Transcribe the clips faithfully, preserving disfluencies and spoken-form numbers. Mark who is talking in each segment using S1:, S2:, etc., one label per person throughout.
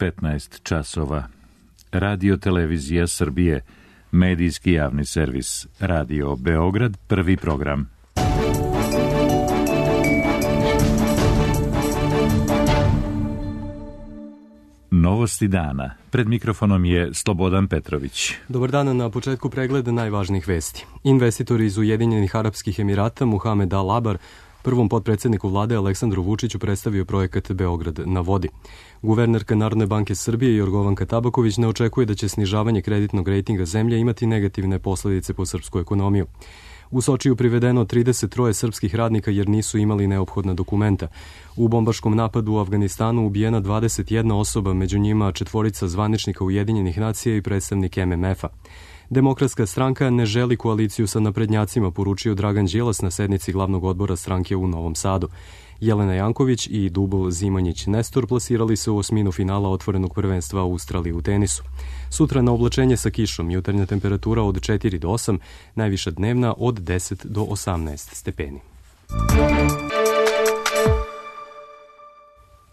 S1: petnaest časova. Radio Televizija Srbije, medijski javni servis, Radio Beograd, prvi program. Novosti dana. Pred mikrofonom je Slobodan Petrović.
S2: Dobar dan, na početku pregleda najvažnijih vesti. Investitori iz Ujedinjenih Arapskih Emirata Muhamed Al Abar prvom potpredsedniku vlade Aleksandru Vučiću predstavio projekat Beograd na vodi. Guvernerka Narodne banke Srbije Jorgovanka Tabaković ne očekuje da će snižavanje kreditnog rejtinga zemlje imati negativne posledice po srpsku ekonomiju. U Sočiju privedeno trideset tri srpskih radnika jer nisu imali neophodna dokumenta. U bombaškom napadu u Afganistanu ubijena dvadeset jedna osoba, među njima četvorica zvaničnika Ujedinjenih nacija i predstavnik M M F-a. Demokratska stranka ne želi koaliciju sa naprednjacima, poručio Dragan Đilas na sednici glavnog odbora stranke u Novom Sadu. Jelena Janković i Dubl Zimanjić Nestor plasirali se u osminu finala otvorenog prvenstva Australije u tenisu. Sutra na oblačenje sa kišom, jutarnja temperatura od četiri do osam, najviša dnevna od deset do osamnaest stepeni.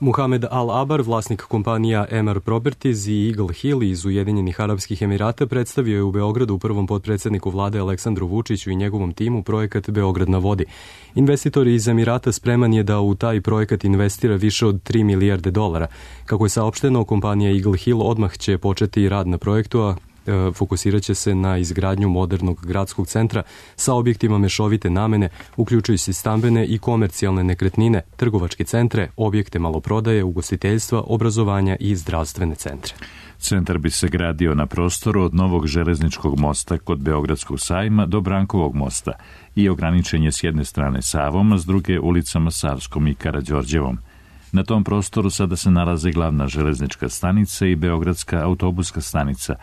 S2: Muhamed Al Abar, vlasnik kompanija M R Properties i Eagle Hill iz Ujedinjenih Arapskih Emirata, predstavio je u Beogradu prvom potpredsedniku vlade Aleksandru Vučiću i njegovom timu projekat Beograd na vodi. Investitor iz Emirata spreman je da u taj projekat investira više od tri milijarde dolara. Kako je saopšteno, kompanija Eagle Hill odmah će početi rad na projektu, a fokusirat će se na izgradnju modernog gradskog centra sa objektima mešovite namene, uključujući stambene i komercijalne nekretnine, trgovačke centre, objekte maloprodaje, ugostiteljstva, obrazovanja i zdravstvene centre.
S1: Centar bi se gradio na prostoru od novog železničkog mosta kod Beogradskog sajma do Brankovog mosta i ograničen je s jedne strane Savom, a s druge ulicama Savskom i Karađorđevom. Na tom prostoru sada se nalaze glavna železnička stanica i Beogradska autobuska stanica,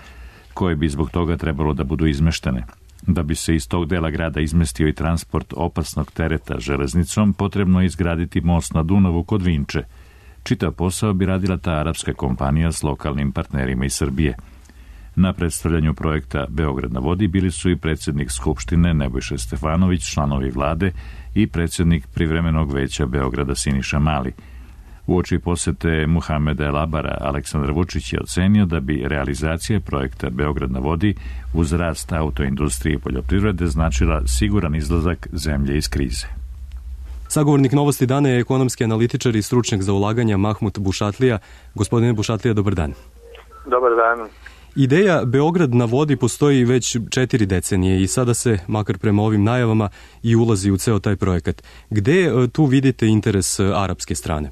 S1: koje bi zbog toga trebalo da budu izmeštene. Da bi se iz tog dela grada izmestio i transport opasnog tereta železnicom, potrebno je izgraditi most na Dunavu kod Vinče. Čitav posao bi radila ta arapska kompanija s lokalnim partnerima iz Srbije. Na predstavljanju projekta Beograd na vodi bili su i predsjednik Skupštine Nebojša Stefanović, članovi vlade i predsjednik privremenog veća Beograda Siniša Mali. Uoči posete Muhameda Al Abara, Aleksandar Vučić je ocenio da bi realizacija projekta Beograd na vodi uz rast autoindustrije i poljoprivrede značila siguran izlazak zemlje iz krize.
S2: Sagovornik Novosti dana je ekonomski analitičar i stručnjak za ulaganja Mahmut Bušatlija. Gospodine Bušatlija, dobar dan.
S3: Dobar dan.
S2: Ideja Beograd na vodi postoji već četiri decenije i sada se, makar prema ovim najavama, i ulazi u ceo taj projekat. Gde tu vidite interes arapske strane?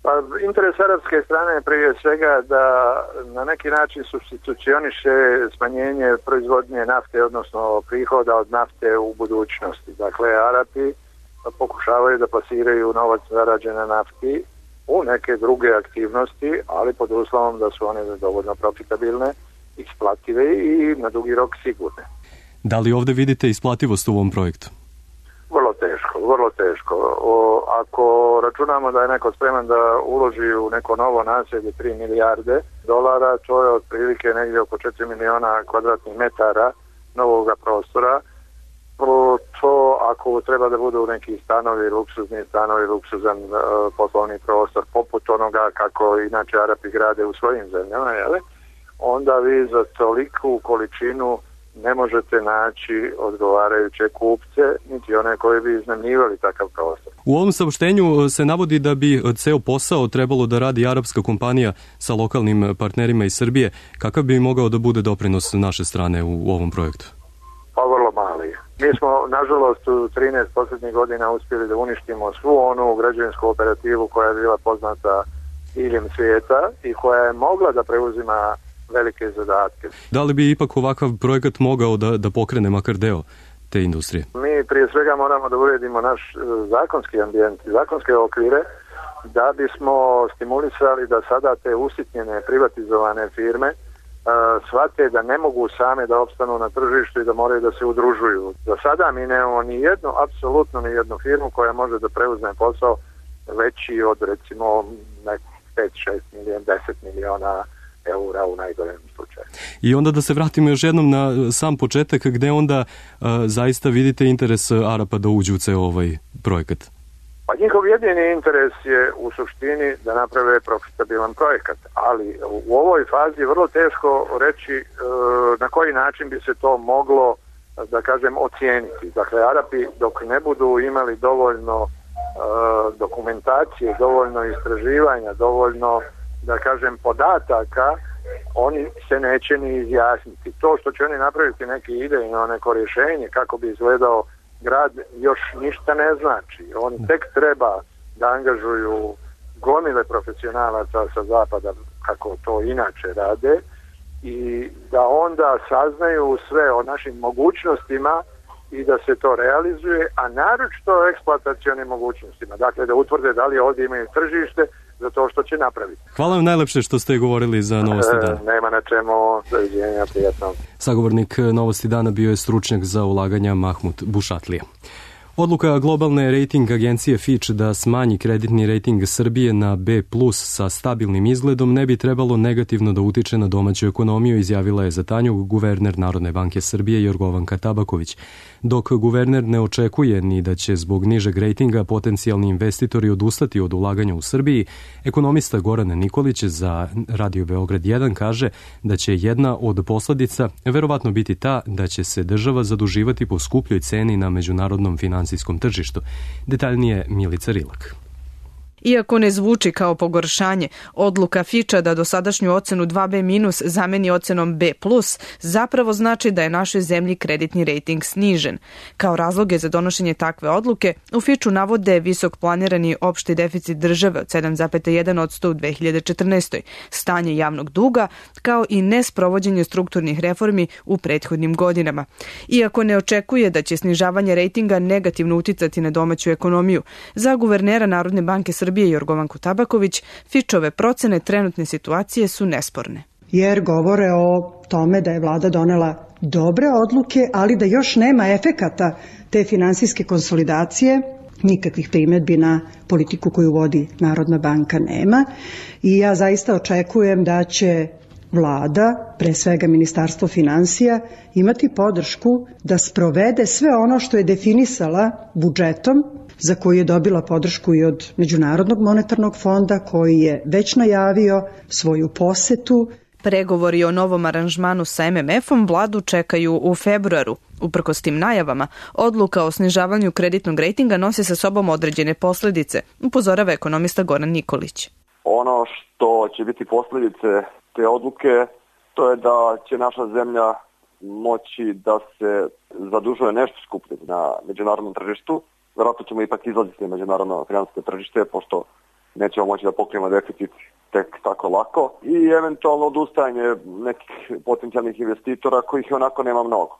S3: Pa, interes arapske strane je prije svega da na neki način supstitucioniše smanjenje proizvodnje nafte, odnosno prihoda od nafte u budućnosti. Dakle, Arapi pokušavaju da plasiraju novac zarađen na nafti u neke druge aktivnosti, ali pod uslovom da su one dovoljno profitabilne, isplative i na dugi rok sigurne.
S2: Da li ovde vidite isplativost u ovom projektu?
S3: Vrlo teško, vrlo teško. O, ako računamo da je neko spreman da uloži u neko novo naselje tri milijarde dolara, to je otprilike negdje oko četiri miliona kvadratnih metara novog prostora. To ako treba da budu neki stanovi, luksuzni stanovi, luksuzan uh, poslovni prostor, poput onoga kako inače Arapi grade u svojim zemljama, jele? Onda vi za toliku količinu ne možete naći odgovarajuće kupce, niti one koji bi iznajmljivali takav prostor.
S2: U ovom saopštenju se navodi da bi ceo posao trebalo da radi arapska kompanija sa lokalnim partnerima iz Srbije. Kakav bi mogao da bude doprinos naše strane u ovom projektu?
S3: Pa vrlo mali. Mi smo, nažalost, u trinaest posljednjih godina uspjeli da uništimo svu onu građevinsku operativu koja je bila poznata diljem svijeta i koja je mogla da preuzima velike zadatke.
S2: Da li bi ipak ovakav projekat mogao da, da pokrene makar deo te industrije?
S3: Mi prije svega moramo da uredimo naš zakonski ambijent, zakonske okvire, da bismo stimulisali da sada te usitnjene privatizovane firme shvate da ne mogu same da opstanu na tržištu i da moraju da se udružuju. Za sada mi nemamo ni jednu, apsolutno ni jednu firmu koja može da preuzme posao veći od recimo pet šest milijuna, deset miliona eura u najgorem slučaju.
S2: I onda da se vratimo još jednom na sam početak, gde onda uh, zaista vidite interes Arapa da uđu u ceo ovaj projekat?
S3: Pa njihov jedini interes je u suštini da naprave profitabilan projekat, ali u ovoj fazi je vrlo teško reći e, na koji način bi se to moglo, da kažem, ocijeniti. Dakle, Arapi dok ne budu imali dovoljno e, dokumentacije, dovoljno istraživanja, dovoljno, da kažem, podataka, oni se neće ni izjasniti. To što će oni napraviti neki idejno, neko rješenje kako bi izgledao grad, još ništa ne znači. Oni tek treba da angažuju gomile profesionalaca sa zapada, kako to inače rade, i da onda saznaju sve o našim mogućnostima i da se to realizuje, a naročito o eksploatacionim mogućnostima. Dakle, da utvrde da li ovdje imaju tržište za to što će napraviti.
S2: Hvala vam najlepše što ste govorili za Novosti dana.
S3: E, nema na čemu, doviđenja, prijatno.
S2: Sagovornik Novosti dana bio je stručnjak za ulaganja Mahmut Bušatlija. Odluka globalne rating agencije Fitch da smanji kreditni rating Srbije na B plus sa stabilnim izgledom ne bi trebalo negativno da utiče na domaću ekonomiju, izjavila je za Tanjug guverner Narodne banke Srbije Jorgovanka Tabaković. Dok guverner ne očekuje ni da će zbog nižeg rejtinga potencijalni investitori odustati od ulaganja u Srbiji, ekonomista Goran Nikolić za Radio Beograd jedan kaže da će jedna od posledica verovatno biti ta da će se država zaduživati po skupljoj ceni na međunarodnom finansijskom tržištu. Detaljnije Milica Rilak.
S4: Iako ne zvuči kao pogoršanje, odluka Fitcha da dosadašnju ocenu dva be minus zameni ocenom B plus zapravo znači da je našoj zemlji kreditni rejting snižen. Kao razloge za donošenje takve odluke u Fitchu navode visok planirani opšti deficit države od sedam zarez jedan posto u dve hiljade četrnaestoj, stanje javnog duga, kao i nesprovođenje strukturnih reformi u prethodnim godinama. Iako ne očekuje da će snižavanje rejtinga negativno uticati na domaću ekonomiju, za guvernera Narodne banke Srbije Jorgovanku Tabaković, Fitchove procene trenutne situacije su nesporne.
S5: Jer govore o tome da je vlada donela dobre odluke, ali da još nema efekata te finansijske konsolidacije, nikakvih primedbi na politiku koju vodi Narodna banka nema. I ja zaista očekujem da će vlada, pre svega Ministarstvo finansija, imati podršku da sprovede sve ono što je definisala budžetom, za koju je dobila podršku i od Međunarodnog monetarnog fonda, koji je već najavio svoju posetu.
S4: Pregovori o novom aranžmanu sa em em efom vladu čekaju u februaru. Uprkos tim najavama, odluka o snižavanju kreditnog rejtinga nosi sa sobom određene posledice, upozorava ekonomista Goran Nikolić.
S6: Ono što će biti posledice te odluke, to je da će naša zemlja moći da se zadužuje nešto skuplje na međunarodnom tržištu. Vjerojatno ćemo ipak izlaziti na međunarodno finansijsko tržište, pošto nećemo moći da pokrijemo deficit tek tako lako, i eventualno odustajanje nekih potencijalnih investitora kojih onako nema mnogo.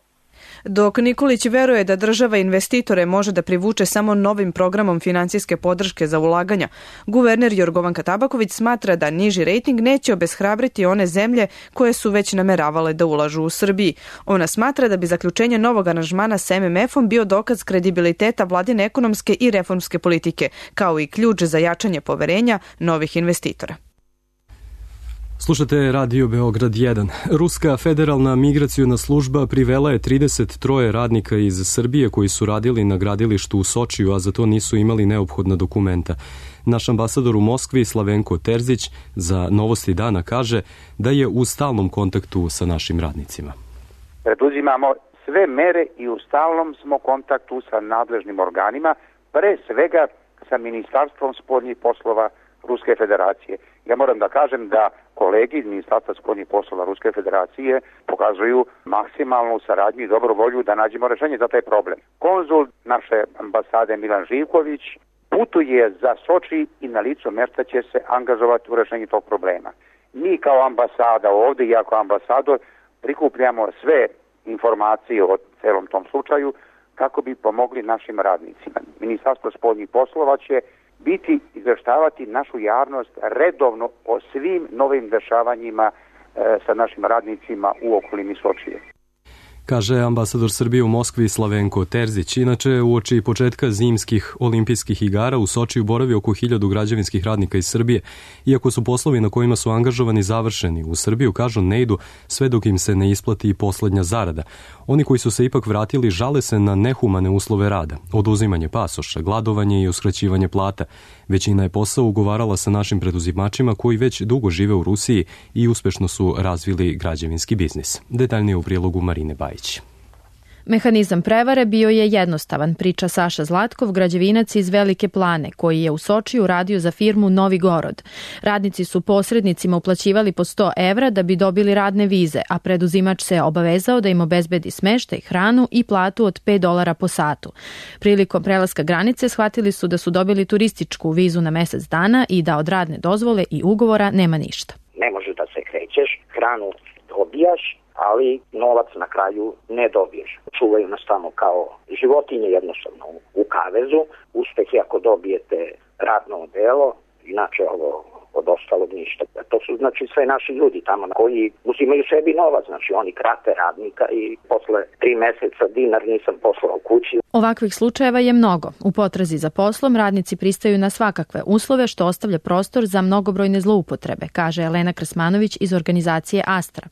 S4: Dok Nikolić veruje da država investitore može da privuče samo novim programom finansijske podrške za ulaganja, guverner Jorgovanka Tabaković smatra da niži rejting neće obeshrabriti one zemlje koje su već nameravale da ulažu u Srbiji. Ona smatra da bi zaključenje novog aranžmana sa em em efom bio dokaz kredibiliteta vladine ekonomske i reformske politike, kao i ključ za jačanje poverenja novih investitora.
S2: Slušate Radio Beograd jedan. Ruska federalna migraciona služba privela je trideset tri radnika iz Srbije koji su radili na gradilištu u Sočiju, a za to nisu imali neophodna dokumenta. Naš ambasador u Moskvi, Slavenko Terzić, za Novosti dana kaže da je u stalnom kontaktu sa našim radnicima.
S7: Preduzimamo sve mere i u stalnom smo kontaktu sa nadležnim organima, pre svega sa Ministarstvom spoljnih poslova Ruske federacije. Ja moram da kažem da kolegi iz Ministarstva spoljnih poslova Ruske federacije pokazuju maksimalnu saradnju i dobru volju da nađemo rešenje za taj problem. Konzul naše ambasade Milan Živković putuje za Soči i na licu mesta će se angažovati u rešenju tog problema. Mi kao ambasada ovde i ja kao ambasador prikupljamo sve informacije o celom tom slučaju kako bi pomogli našim radnicima. Ministarstvo spoljnih poslova će biti izveštavati našu javnost redovno o svim novim dešavanjima e, sa našim radnicima u okolini Sočije.
S2: kaže ambasador Srbije u Moskvi Slavenko Terzić. Inače, uoči početka zimskih olimpijskih igara u Sočiju boravi oko hiljadu građevinskih radnika iz Srbije. Iako su poslovi na kojima su angažovani završeni, u Srbiju, kažu, ne idu sve dok im se ne isplati i poslednja zarada. Oni koji su se ipak vratili žale se na nehumane uslove rada, oduzimanje pasoša, gladovanje i uskraćivanje plata. Većina je posao ugovarala sa našim preduzimačima koji već dugo žive u Rusiji i uspešno su razvili građevinski biznis. Detaljnije u prilogu Marine Bajić.
S8: Mehanizam prevare bio je jednostavan, priča Saša Zlatkov, građevinac iz Velike Plane, koji je u Sočiju radio za firmu Novi Gorod. Radnici su posrednicima uplaćivali po sto evra da bi dobili radne vize, a preduzimač se obavezao da im obezbedi smeštaj, hranu i platu od pet dolara po satu. Prilikom prelaska granice shvatili su da su dobili turističku vizu na mesec dana i da od radne dozvole i ugovora nema ništa.
S9: Ne može da se krećeš, hranu dobijaš, ali novac na kraju ne dobiješ. Čuvaju nas tamo kao životinje jednostavno u kavezu. Uspeh je ako dobijete radno odelo, inače ovo od ostalog ništa. To su znači sve naši ljudi tamo koji uzimaju sebi novac, znači oni krate radnika i posle tri meseca dinar nisam poslao kući.
S8: Ovakvih slučajeva je mnogo. U potrazi za poslom radnici pristaju na svakakve uslove što ostavlja prostor za mnogobrojne zloupotrebe, kaže Elena Krsmanović iz organizacije Astra.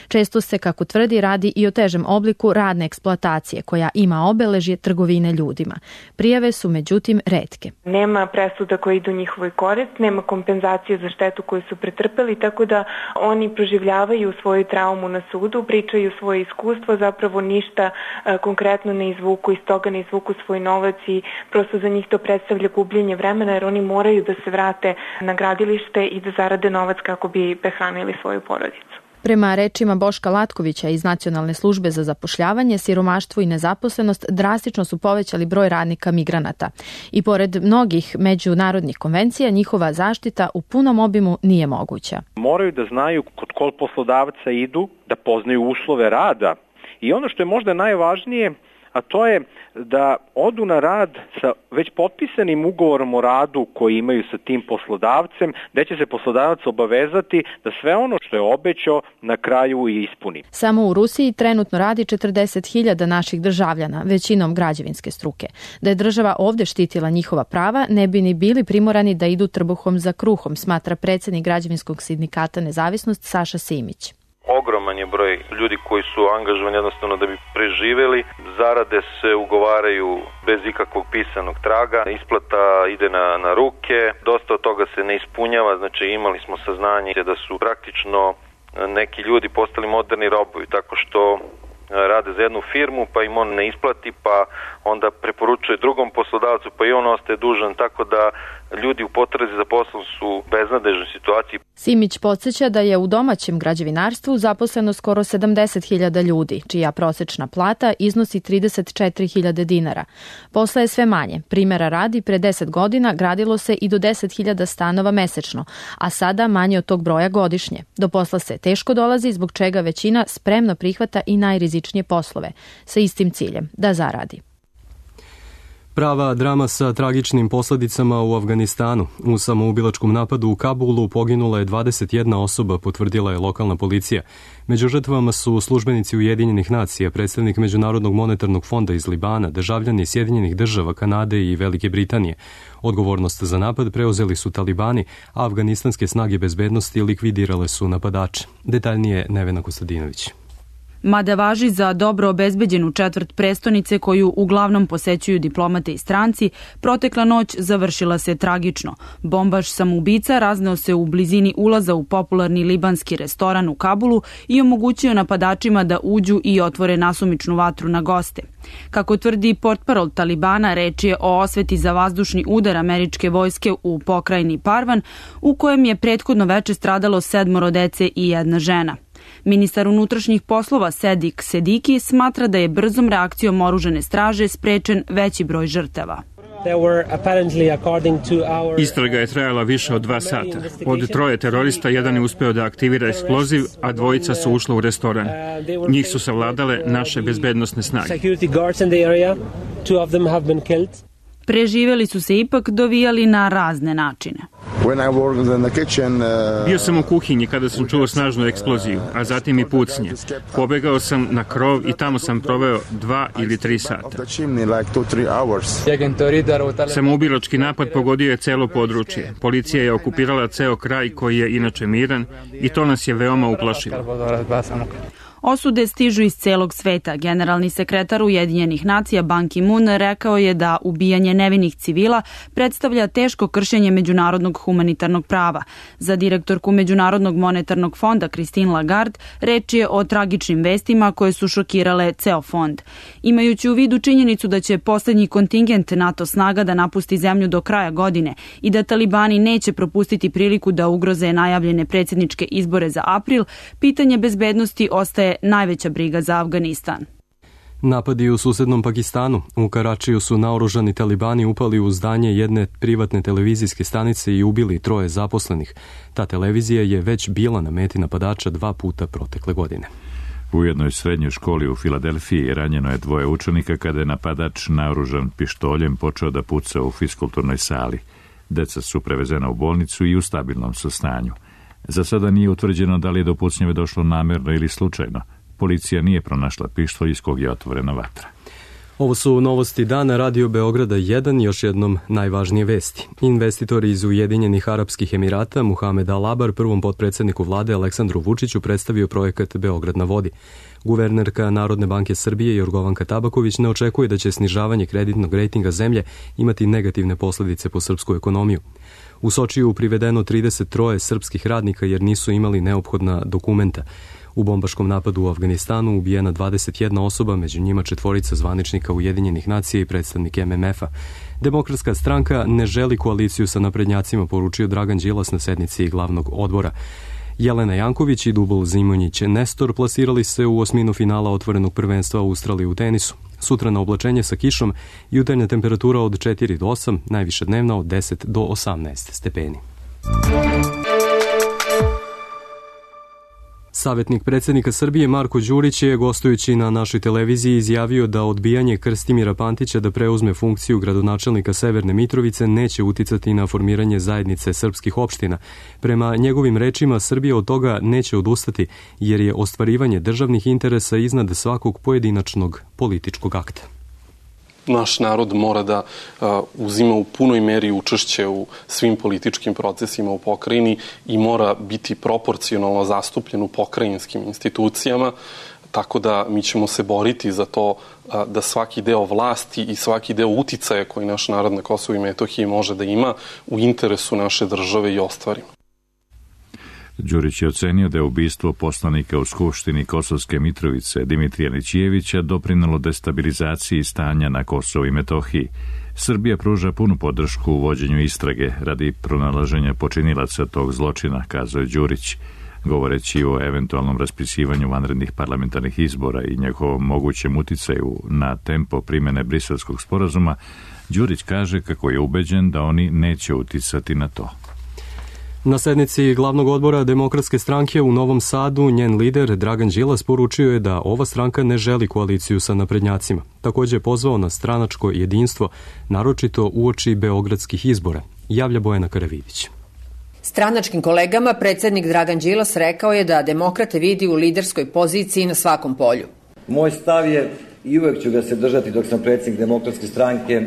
S8: Često se, kako tvrdi, radi i o težem obliku radne eksploatacije koja ima obeležje trgovine ljudima. Prijave su međutim retke.
S10: Nema presuda koje idu u njihovoj korist, nema kompenzacije za štetu koju su pretrpeli, tako da oni proživljavaju svoju traumu na sudu, pričaju svoje iskustvo, zapravo ništa a, konkretno ne izvuku iz toga, ne izvuku svoj novac i prosto za njih to predstavlja gubljenje vremena jer oni moraju da se vrate na gradilište i da zarade novac kako bi prehranili svoju porodicu.
S8: Prema rečima Boška Latkovića iz Nacionalne službe za zapošljavanje, siromaštvo i nezaposlenost drastično su povećali broj radnika migranata. I pored mnogih međunarodnih konvencija, njihova zaštita u punom obimu nije moguća.
S11: Moraju da znaju kod kog poslodavca idu, da poznaju uslove rada. I ono što je možda najvažnije, a to je da odu na rad sa već potpisanim ugovorom o radu koji imaju sa tim poslodavcem, gde će se poslodavac obavezati da sve ono što je obećao na kraju i ispuni.
S8: Samo u Rusiji trenutno radi četrdeset hiljada naših državljana, većinom građevinske struke. Da je država ovde štitila njihova prava, ne bi ni bili primorani da idu trbuhom za kruhom, smatra predsednik građevinskog sindikata Nezavisnost Saša Simić.
S12: Ogroman je broj ljudi koji su angažovani jednostavno da bi preživeli. Zarade se ugovaraju bez ikakvog pisanog traga. Isplata ide na, na ruke. Dosta od toga se ne ispunjava. Znači imali smo saznanje da su praktično neki ljudi postali moderni robovi tako što rade za jednu firmu pa im on ne isplati pa onda preporučuje drugom poslodavcu pa i on ostaje dužan, tako da ljudi u potrazi za poslom su u beznadežnoj situaciji.
S8: Simić podsjeća da je u domaćem građevinarstvu zaposleno skoro sedamdeset hiljada ljudi, čija prosečna plata iznosi trideset četiri hiljade dinara. Posla je sve manje. Primera radi, pre deset godina gradilo se i do deset hiljada stanova mesečno, a sada manje od tog broja godišnje. Do posla se teško dolazi, zbog čega većina spremno prihvata i najrizičnije poslove, sa istim ciljem, da zaradi.
S2: Prava drama sa tragičnim posledicama u Afganistanu. U samoubilačkom napadu u Kabulu poginula je dvadeset jedna osoba, potvrdila je lokalna policija. Među žrtvama su službenici Ujedinjenih nacija, predstavnik Međunarodnog monetarnog fonda iz Libana, državljani Sjedinjenih država, Kanade i Velike Britanije. Odgovornost za napad preuzeli su talibani, a afganistanske snage bezbednosti likvidirale su napadače. Detaljnije Nevena Kostadinović.
S13: Mada važi za dobro obezbeđenu četvrt prestonice koju uglavnom posećuju diplomate i stranci, protekla noć završila se tragično. Bombaš samoubica razneo se u blizini ulaza u popularni libanski restoran u Kabulu i omogućio napadačima da uđu i otvore nasumičnu vatru na goste. Kako tvrdi portparol Talibana, reč je o osveti za vazdušni udar američke vojske u pokrajini Parvan, u kojem je prethodno veče stradalo sedmoro dece i jedna žena. Ministar unutrašnjih poslova Sedik Sediki smatra da je brzom reakcijom oružane straže sprečen veći broj žrtava.
S14: Istraga je trajala više od dva sata. Od troje terorista jedan je uspeo da aktivira eksploziv, a dvojica su ušla u restoran. Njih su savladale naše bezbednosne snage.
S13: Preživeli su se ipak dovijali na razne načine.
S14: Bio sam u kuhinji kada sam čuo snažnu eksploziju, a zatim i pucnje. Pobegao sam na krov i tamo sam proveo dva ili tri sata. Samoubilački napad pogodio je celo područje. Policija je okupirala ceo kraj koji je inače miran i to nas je veoma uplašilo.
S13: Osude stižu iz celog sveta. Generalni sekretar Ujedinjenih nacija Ban Ki-moon rekao je da ubijanje nevinih civila predstavlja teško kršenje međunarodnog humanitarnog prava. Za direktorku Međunarodnog monetarnog fonda Christine Lagarde reč je o tragičnim vestima koje su šokirale ceo fond. Imajući u vidu činjenicu da će poslednji kontingent NATO snaga da napusti zemlju do kraja godine i da talibani neće propustiti priliku da ugroze najavljene predsjedničke izbore za april, pitanje bezbednosti ostaje najveća briga za Afganistan.
S2: Napadi u susednom Pakistanu. U Karačiju su naoružani talibani upali u zdanje jedne privatne televizijske stanice i ubili troje zaposlenih. Ta televizija je već bila na meti napadača dva puta protekle godine.
S1: U jednoj srednjoj školi u Filadelfiji ranjeno je dvoje učenika kada je napadač naoružan pištoljem počeo da puca u fiskulturnoj sali. Deca su prevezena u bolnicu i u stabilnom su stanju. Za sada nije utvrđeno da li je do pucnjeve došlo namerno ili slučajno. Policija nije pronašla pištolj iz kog je otvorena vatra.
S2: Ovo su novosti dana Radio Beograda jedan, još jednom najvažnije vesti. Investitori iz Ujedinjenih Arapskih Emirata Muhamed Al-Labar prvom potpredsjedniku vlade Aleksandru Vučiću predstavio projekat Beograd na vodi. Guvernerka Narodne banke Srbije Jorgovanka Tabaković ne očekuje da će snižavanje kreditnog rejtinga zemlje imati negativne posljedice po srpsku ekonomiju. U Sočiju privedeno trideset tri srpskih radnika jer nisu imali neophodna dokumenta. U bombaškom napadu u Afganistanu ubijena dvadeset jedna osoba, među njima četvorica zvaničnika Ujedinjenih nacija i predstavnik M M F-a. Demokratska stranka ne želi koaliciju sa naprednjacima, poručio Dragan Đilas na sednici glavnog odbora. Jelena Janković i Dubul Zimonjić Nestor plasirali se u osminu finala otvorenog prvenstva Australije u tenisu. Sutra na oblačenje sa kišom, jutarnja temperatura od četiri do osam, najviša dnevna od deset do osamnaest stepeni. Savjetnik predsjednika Srbije Marko Đurić je, gostujući na našoj televiziji, izjavio da odbijanje Krstimira Pantića da preuzme funkciju gradonačelnika Severne Mitrovice neće uticati na formiranje zajednice srpskih opština. Prema njegovim rečima, Srbija od toga neće odustati, jer je ostvarivanje državnih interesa iznad svakog pojedinačnog političkog akta.
S15: Naš narod mora da uh, uzima u punoj meri učešće u svim političkim procesima u pokrajini i mora biti proporcionalno zastupljen u pokrajinskim institucijama, tako da mi ćemo se boriti za to uh, da svaki deo vlasti i svaki deo uticaja koji naš narod na Kosovu i Metohiji može da ima u interesu naše države i ostvarimo.
S1: Đurić je ocenio da je ubistvo poslanika u Skupštini Kosovske Mitrovice Dimitrija Nićijevića doprinelo destabilizaciji stanja na Kosovu i Metohiji. Srbija pruža punu podršku u vođenju istrage radi pronalaženja počinilaca tog zločina, kazao je Đurić. Govoreći o eventualnom raspisivanju vanrednih parlamentarnih izbora i njegovom mogućem uticaju na tempo primene Briselskog sporazuma, Đurić kaže kako je ubeđen da oni neće uticati na to.
S2: Na sednici glavnog odbora Demokratske stranke u Novom Sadu njen lider Dragan Đilas poručio je da ova stranka ne želi koaliciju sa naprednjacima. Također je pozvao na stranačko jedinstvo, naročito uoči beogradskih izbora, javlja Bojana Karavidić.
S16: Stranačkim kolegama predsjednik Dragan Đilas rekao je da demokrate vidi u liderskoj poziciji na svakom polju.
S17: Moj stav je, i uvek ću ga se držati dok sam predsjednik Demokratske stranke,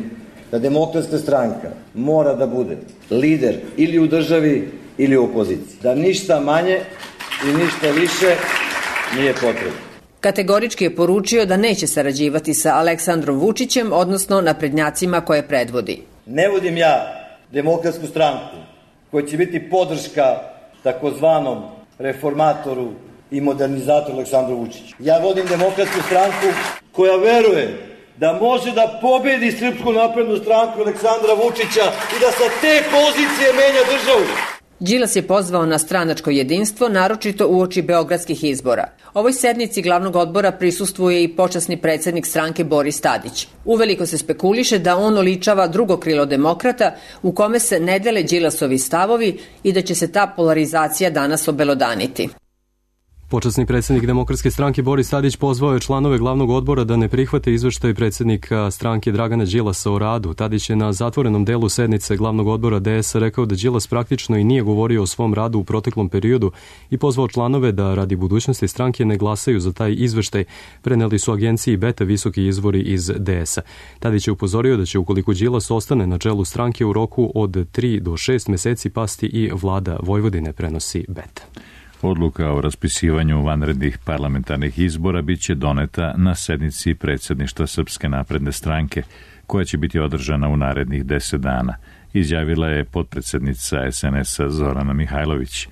S17: da Demokratska stranka mora da bude lider ili u državi ili u opoziciji. Da ništa manje i ništa više nije potrebno.
S16: Kategorički je poručio da neće sarađivati sa Aleksandrom Vučićem, odnosno naprednjacima koje predvodi.
S17: Ne vodim ja Demokratsku stranku koja će biti podrška takozvanom reformatoru i modernizatoru Aleksandru Vučiću. Ja vodim Demokratsku stranku koja veruje da može da pobedi Srpsku naprednu stranku Aleksandra Vučića i da sa te pozicije menja državu.
S16: Đilas je pozvao na stranačko jedinstvo, naročito uoči beogradskih izbora. Ovoj sednici glavnog odbora prisustvuje i počasni predsjednik stranke Boris Tadić. Uveliko se spekuliše da on oličava drugo krilo demokrata u kome se ne dele Đilasovi stavovi i da će se ta polarizacija danas obelodaniti.
S2: Počasni predsjednik Demokratske stranke Boris Tadić pozvao je članove glavnog odbora da ne prihvate izveštaj predsjednika stranke Dragana Đilasa o radu. Tadić je na zatvorenom delu sednice glavnog odbora D S rekao da Đilas praktično i nije govorio o svom radu u proteklom periodu i pozvao članove da radi budućnosti stranke ne glasaju za taj izveštaj. Preneli su agenciji Beta visoki izvori iz D S-a. Tadić je upozorio da će ukoliko Đilas ostane na čelu stranke u roku od tri do šest meseci pasti i vlada Vojvodine, prenosi Beta.
S1: Odluka o raspisivanju vanrednih parlamentarnih izbora biće doneta na sednici predsjedništva Srpske napredne stranke, koja će biti održana u narednih deset dana, izjavila je potpredsjednica S N S-a Zorana Mihajlović.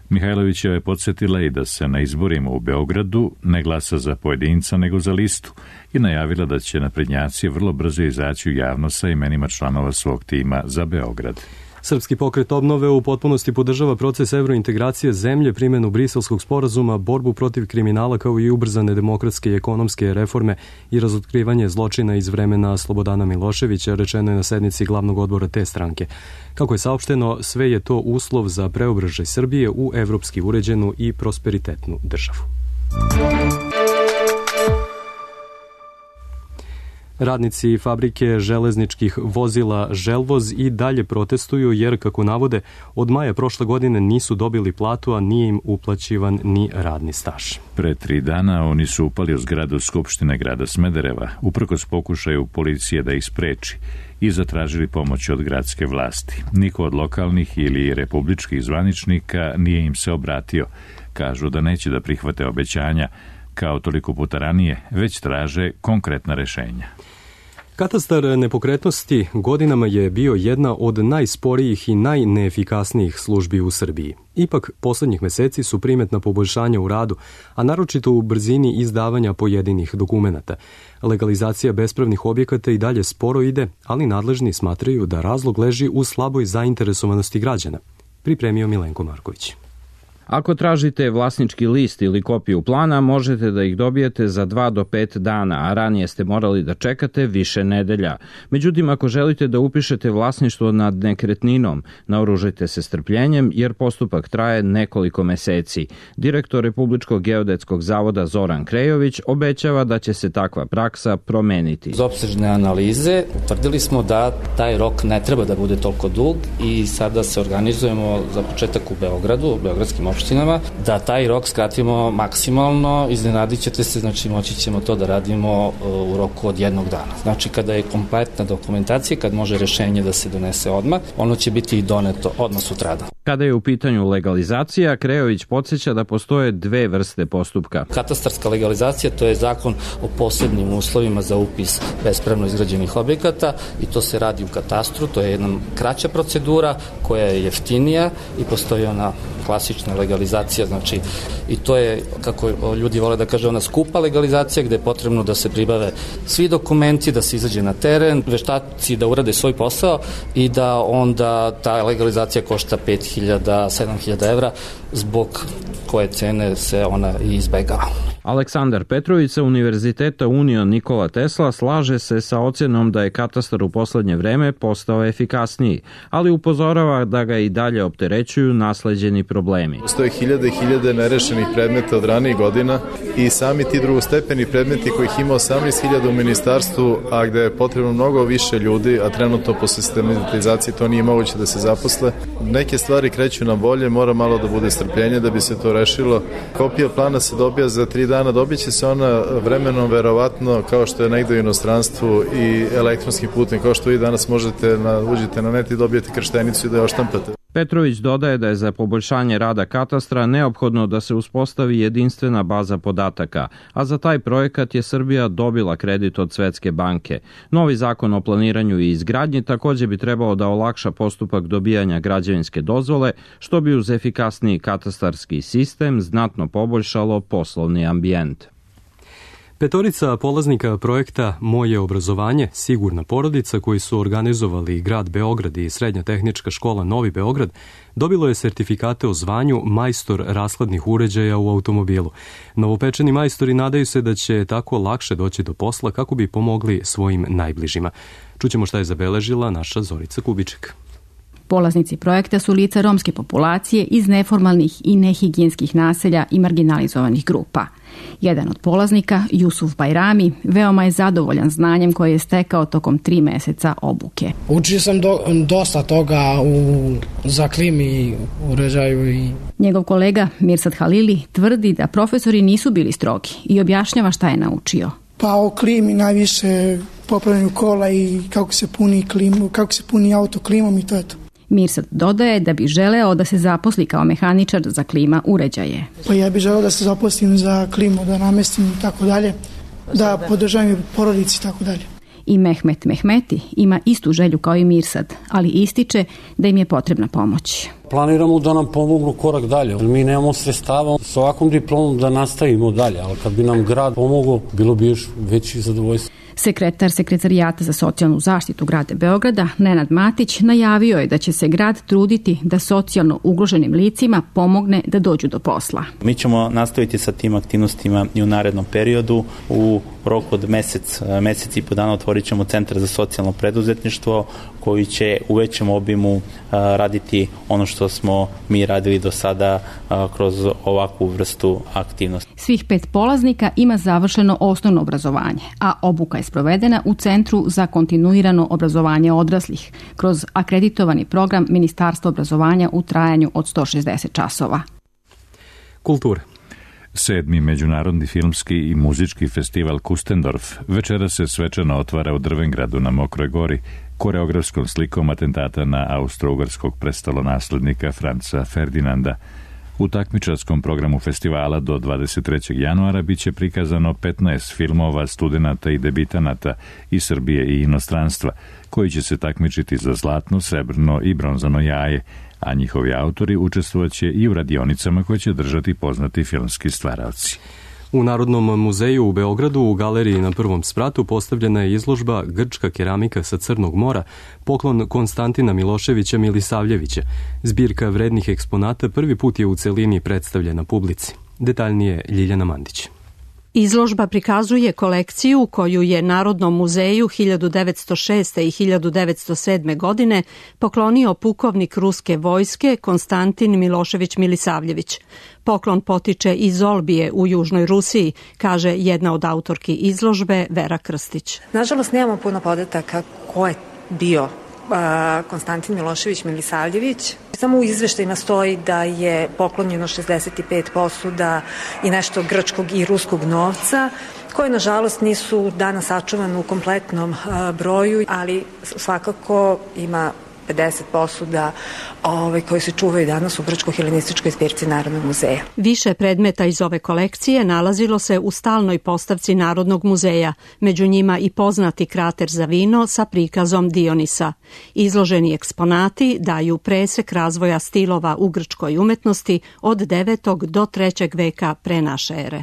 S1: Mihajlović je podsjetila i da se na izborima u Beogradu ne glasa za pojedinca nego za listu i najavila da će naprednjaci vrlo brzo izaći u javnost sa imenima članova svog tima za Beograd.
S2: Srpski pokret obnove u potpunosti podržava proces evrointegracije zemlje, primjenu Briselskog sporazuma, borbu protiv kriminala kao i ubrzane demokratske i ekonomske reforme i razotkrivanje zločina iz vremena Slobodana Miloševića, rečeno je na sednici glavnog odbora te stranke. Kako je saopšteno, sve je to uslov za preobražaj Srbije u evropski uređenu i prosperitetnu državu. Radnici fabrike železničkih vozila Želvoz i dalje protestuju jer, kako navode, od maja prošle godine nisu dobili platu, a nije im uplaćivan ni radni staž.
S1: Pre tri dana oni su upali u zgradu Skupštine grada Smedereva, uprkos pokušaju policije da ih spreči, i zatražili pomoć od gradske vlasti. Niko od lokalnih ili republičkih zvaničnika nije im se obratio. Kažu da neće da prihvate obećanja, kao toliko puta ranije, već traže konkretna rešenja.
S2: Katastar nepokretnosti godinama je bio jedna od najsporijih i najneefikasnijih službi u Srbiji. Ipak, poslednjih meseci su primetna poboljšanja u radu, a naročito u brzini izdavanja pojedinih dokumenata. Legalizacija bespravnih objekata i dalje sporo ide, ali nadležni smatraju da razlog leži u slaboj zainteresovanosti građana. Pripremio Milenko Marković.
S18: Ako tražite vlasnički list ili kopiju plana, možete da ih dobijete za dva do pet dana, a ranije ste morali da čekate više nedelja. Međutim, ako želite da upišete vlasništvo nad nekretninom, naoružajte se strpljenjem jer postupak traje nekoliko meseci. Direktor Republičkog geodetskog zavoda Zoran Krejović obećava da će se takva praksa promeniti.
S19: Iz opsežne analize utvrdili smo da taj rok ne treba da bude toliko dug i sada se organizujemo za početak u Beogradu, u beogradskim opštinama, da taj rok skratimo maksimalno, iznenadit ćete se, znači moći ćemo to da radimo u roku od jednog dana. Znači kada je kompletna dokumentacija, kad može rešenje da se donese odmah, ono će biti i doneto odmah sutradan.
S18: Kada je u pitanju legalizacija, Krejović podsjeća da postoje dve vrste postupka.
S19: Katastarska legalizacija, to je zakon o posebnim uslovima za upis bespravno izgrađenih objekata i to se radi u katastru, to je jedna kraća procedura koja je jeftinija i postoji ona klasična legalizacija, znači i to je, kako ljudi vole da kaže, ona skupa legalizacija gde je potrebno da se pribave svi dokumenti, da se izađe na teren, veštaci da urade svoj posao i da onda ta legalizacija košta pet hiljada, sedam hiljada evra, zbog koje cene se ona i izbegava.
S18: Aleksandar Petrović sa Univerziteta Union Nikola Tesla slaže se sa ocjenom da je katastar u poslednje vreme postao efikasniji, ali upozorava da ga i dalje opterećuju nasleđeni problemi.
S20: Postoje hiljade i hiljade nerešenih predmeta od ranijih godina i sami ti drugostepeni predmeti kojih ima osamnaest hiljada u ministarstvu, a gde je potrebno mnogo više ljudi, a trenutno po sistematizaciji to nije moguće da se zaposle. Neke stvari kreću na bolje, mora malo da bude strpljenje da bi se to rešilo. Kopija plana se dobija za tri dana, dobit će se ona vremenom verovatno kao što je negde u inostranstvu i elektronskim putem, kao što vi danas možete na, uđete na net i dobijete krštenicu i da je oštampate.
S18: Petrović dodaje da je za poboljšanje rada katastra neophodno da se uspostavi jedinstvena baza podataka, a za taj projekat je Srbija dobila kredit od Svetske banke. Novi zakon o planiranju i izgradnji takođe bi trebao da olakša postupak dobijanja građevinske dozvole, što bi uz efikasniji katastarski sistem znatno poboljšalo poslovni ambijent.
S2: Petorica polaznika projekta Moje obrazovanje, sigurna porodica, koji su organizovali grad Beograd i Srednja tehnička škola Novi Beograd, dobilo je sertifikate o zvanju majstor rashladnih uređaja u automobilu. Novopečeni majstori nadaju se da će tako lakše doći do posla kako bi pomogli svojim najbližima. Čućemo šta je zabeležila naša Zorica Kubiček.
S21: Polaznici projekta su lica romske populacije iz neformalnih i nehigijenskih naselja i marginalizovanih grupa. Jedan od polaznika, Jusuf Bajrami, veoma je zadovoljan znanjem koje je stekao tokom tri meseca obuke.
S22: Učio sam do, dosta toga u, za klimi, uređaju i...
S21: Njegov kolega Mirsad Halili tvrdi da profesori nisu bili strogi i objašnjava šta je naučio.
S22: Pa o klimi najviše popravljanju kola i kako se puni klimu, kako se puni auto klimom i to je to.
S21: Mirsad dodaje da bi želeo da se zaposli kao mehaničar za klima uređaje.
S22: Pa ja bih želeo da se zaposlim za klimu, da namestim i tako dalje, da podržavam porodici i tako dalje.
S21: I Mehmet Mehmeti ima istu želju kao i Mirsad, ali ističe da im je potrebna pomoć.
S23: Planiramo da nam pomognu korak dalje. Mi nemamo sredstava s ovakvom diplomom da nastavimo dalje, ali kad bi nam grad pomogao, bilo bi još veći zadovoljstvo.
S21: Sekretar Sekretarijata za socijalnu zaštitu grada Beograda, Nenad Matić, najavio je da će se grad truditi da socijalno ugroženim licima pomogne da dođu do posla.
S24: Mi ćemo nastaviti sa tim aktivnostima i u narednom periodu. U roku od mesec, mesec i po dana otvorit ćemo Centar za socijalno preduzetništvo koji će u većem obimu raditi ono što smo mi radili do sada kroz ovakvu vrstu aktivnosti.
S21: Svih pet polaznika ima završeno osnovno obrazovanje, a obuka je sprovedena u Centru za kontinuirano obrazovanje odraslih kroz akreditovani program Ministarstva obrazovanja u trajanju od sto šezdeset časova.
S2: Kultura.
S1: Sedmi međunarodni filmski i muzički festival Kustendorf večera se svečano otvara u Drvengradu na Mokroj gori koreografskom slikom atentata na austro-ugarskog prestolonaslednika Franca Ferdinanda. U takmičarskom programu festivala do dvadeset trećeg januara biće prikazano petnaest filmova studenata i debitanata iz Srbije i inostranstva, koji će se takmičiti za zlatno, srebrno i bronzano jaje, a njihovi autori učestvovaće i u radionicama koje će držati poznati filmski stvaraoci.
S2: U Narodnom muzeju u Beogradu u galeriji na prvom spratu postavljena je izložba Grčka keramika sa Crnog mora, poklon Konstantina Miloševića Milisavljevića. Zbirka vrednih eksponata prvi put je u celini predstavljena publici. Detaljnije Ljiljana Mandić.
S25: Izložba prikazuje kolekciju koju je Narodnom muzeju hiljadu devetsto šeste i hiljadu devetsto sedme. godine poklonio pukovnik ruske vojske Konstantin Milošević Milisavljević. Poklon potiče iz Olbije u Južnoj Rusiji, kaže jedna od autorki izložbe Vera Krstić.
S26: Nažalost, nemamo puno podataka ko je bio Konstantin Milošević Milisavljević. Samo u izveštajima stoji da je poklonjeno šezdeset pet posuda i nešto grčkog i ruskog novca, koje nažalost nisu danas sačuvane u kompletnom broju, ali svakako ima pedeset posuda ove, koje se čuvaju danas u grčko-helenističkoj zbirci Narodnog muzeja.
S25: Više predmeta iz ove kolekcije nalazilo se u stalnoj postavci Narodnog muzeja, među njima i poznati krater za vino sa prikazom Dionisa. Izloženi eksponati daju presek razvoja stilova u grčkoj umetnosti od devetog do trećeg veka pre naše ere.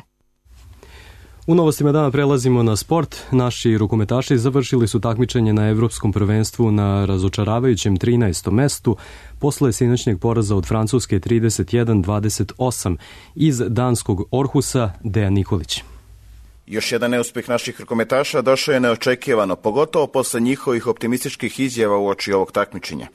S2: U novostima dana prelazimo na sport. Naši rukometaši završili su takmičenje na Evropskom prvenstvu na razočaravajućem trinaestom mestu posle sinoćnjeg poraza od Francuske trideset jedan dvadeset osam iz danskog Orhusa Dejan Nikolić.
S27: Još jedan neuspeh naših rukometaša došao je neočekivano, pogotovo posle njihovih optimističkih izjava uoči ovog takmičenja.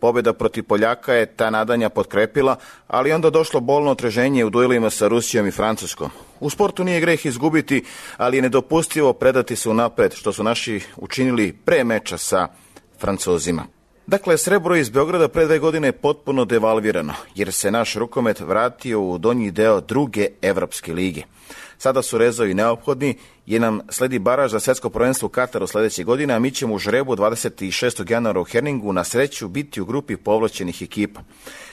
S27: Pobjeda protiv Poljaka je ta nadanja potkrepila, ali onda došlo bolno otreženje u duelima sa Rusijom i Francuskom. U sportu nije greh izgubiti, ali je nedopustivo predati se unapred, što su naši učinili pre meča sa Francuzima. Dakle, srebro iz Beograda pre dve godine je potpuno devalvirano, jer se naš rukomet vratio u donji deo druge Evropske lige. Sada su rezovi neophodni, jer nam sledi baraž za svetsko prvenstvo u Kataru sledeće godine, a mi ćemo u žrebu dvadeset šestog januara u Herningu na sreću biti u grupi povlaćenih ekipa.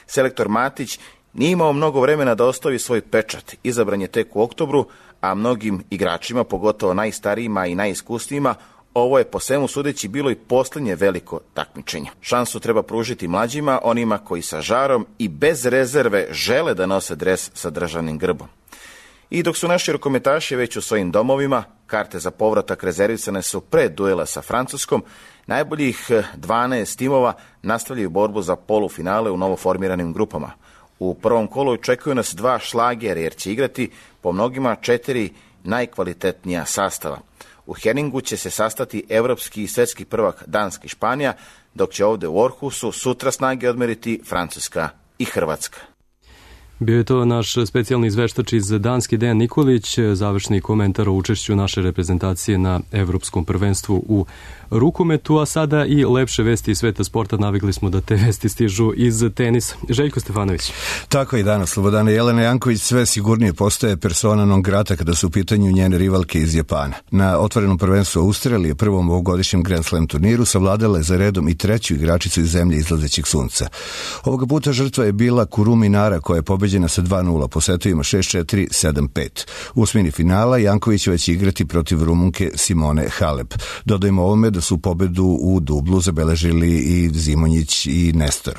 S27: Selektor Matić nije imao mnogo vremena da ostavi svoj pečat. Izabran je tek u oktobru, a mnogim igračima, pogotovo najstarijima i najiskusnijima, ovo je po svemu sudeći bilo i poslednje veliko takmičenje. Šansu treba pružiti mlađima, onima koji sa žarom i bez rezerve žele da nose dres sa državnim grbom. I dok su naši rukometaši već u svojim domovima, karte za povratak rezervisane su pre duela sa Francuskom, najboljih dvanaest timova nastavljaju borbu za polufinale u novoformiranim grupama. U prvom kolu očekuju nas dva šlagera jer će igrati po mnogima četiri najkvalitetnija sastava. U Henningu će se sastati evropski i svetski prvak Danska i Španija, dok će ovde u Orhusu sutra snage odmeriti Francuska i Hrvatska.
S2: Bio je to naš specijalni izveštač iz Danske, Dejan Nikolić, završni komentar o učešću naše reprezentacije na Evropskom prvenstvu u rukometu, a sada i lepše vesti iz sveta sporta. Navikli smo da te vesti stižu iz tenisa. Željko Stefanović.
S3: Tako i danas. Slobodana Jelena Janković sve sigurnije postaje persona non grata kada su u pitanju njene rivalke iz Japana. Na otvorenom prvenstvu Australije, prvom ovogodišnjem Grand Slam turniru, savladala je za redom i treću igračicu iz zemlje izlazećeg sunca. Ovoga puta žrtva je bila Kurumi Nara, koja je pobeđena sa dva nula po setovima šest četiri, sedam pet. U osmini finala Jankovićeva će igrati protiv Rumunke Simone Halep. Dodajmo ovome da su pobedu u dublu zabeležili i Zimonjić i Nestor.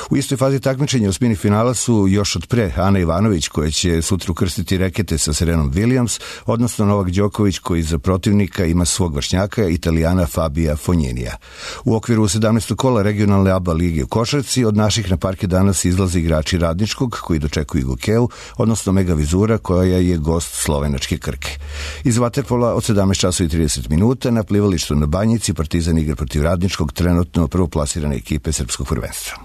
S3: U istoj fazi takmičenja osmini finala su još od pre Ana Ivanović, koja će sutra ukrstiti rekete sa Serenom Williams, odnosno Novak Đoković, koji za protivnika ima svog vršnjaka, Italijana Fabija Fogninija. U okviru sedamnaestog kola regionalne A B A lige u košarci od naših na parke danas izlaze igrači Radničkog, koji dočekuju Gokeu, odnosno Mega Vizura, koja je gost slovenačke Krke. Iz vaterpola od sedamnaest časova i trideset minuta na plivalištu na Banjici Partizan igra protiv Radničkog, trenutno prvoplasirane ekipe srpskog prvenstva.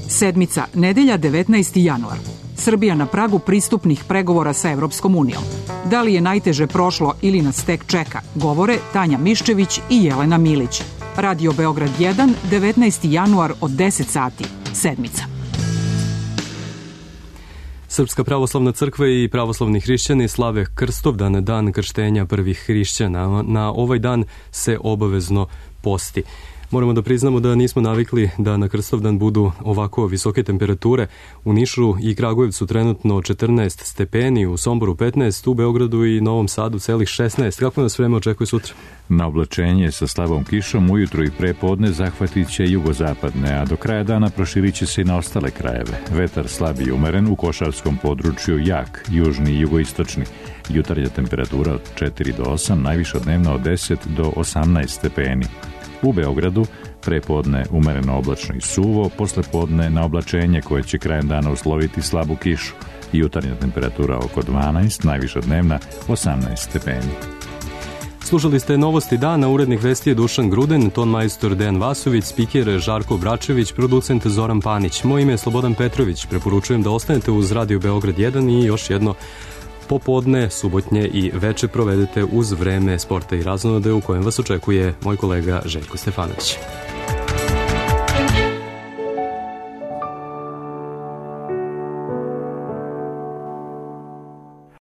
S4: Sedmica, nedelja devetnaesti januar. Srbija na pragu pristupnih pregovora sa Evropskom unijom. Da li je najteže prošlo ili nas tek čeka, govore Tanja Miščević i Jelena Milić. Radio Beograd jedan, devetnaesti januar od deset sati. Sedmica.
S2: Srpska pravoslavna crkva i pravoslavni hrišćani slave Krstovdan, dan krštenja prvih hrišćana. Na ovaj dan se obavezno posti. Moramo da priznamo da nismo navikli da na Krstovdan budu ovako visoke temperature. U Nišu i Kragujevcu trenutno četrnaest stepeni, u Somboru petnaest, u Beogradu i Novom Sadu celih šesnaest. Kako nas vreme očekuje sutra?
S1: Na oblačenje sa slabom kišom ujutru i prepodne zahvatit će jugozapadne, a do kraja dana proširit će se i na ostale krajeve. Vetar slab i umeren, u košarskom području jak, južni i jugoistočni. Jutarnja temperatura od četiri do osam, najviša dnevna od deset do osamnaest stepeni. U Beogradu prepodne umereno oblačno i suvo, posle podne na oblačenje koje će krajem dana usloviti slabu kišu. Jutarnja temperatura oko dvanaest, najviša dnevna osamnaest stepeni.
S2: Slušali ste novosti dana, urednik vesti je Dušan Gruden, ton majstor Dejan Vasović, spiker Žarko Bračević, producent Zoran Panić. Moje ime je Slobodan Petrović, preporučujem da ostanete uz Radio Beograd jedan i još jedno popodne, subotnje i veče provedete uz vreme sporta i raznode u kojem vas očekuje moj kolega Željko Stefanović.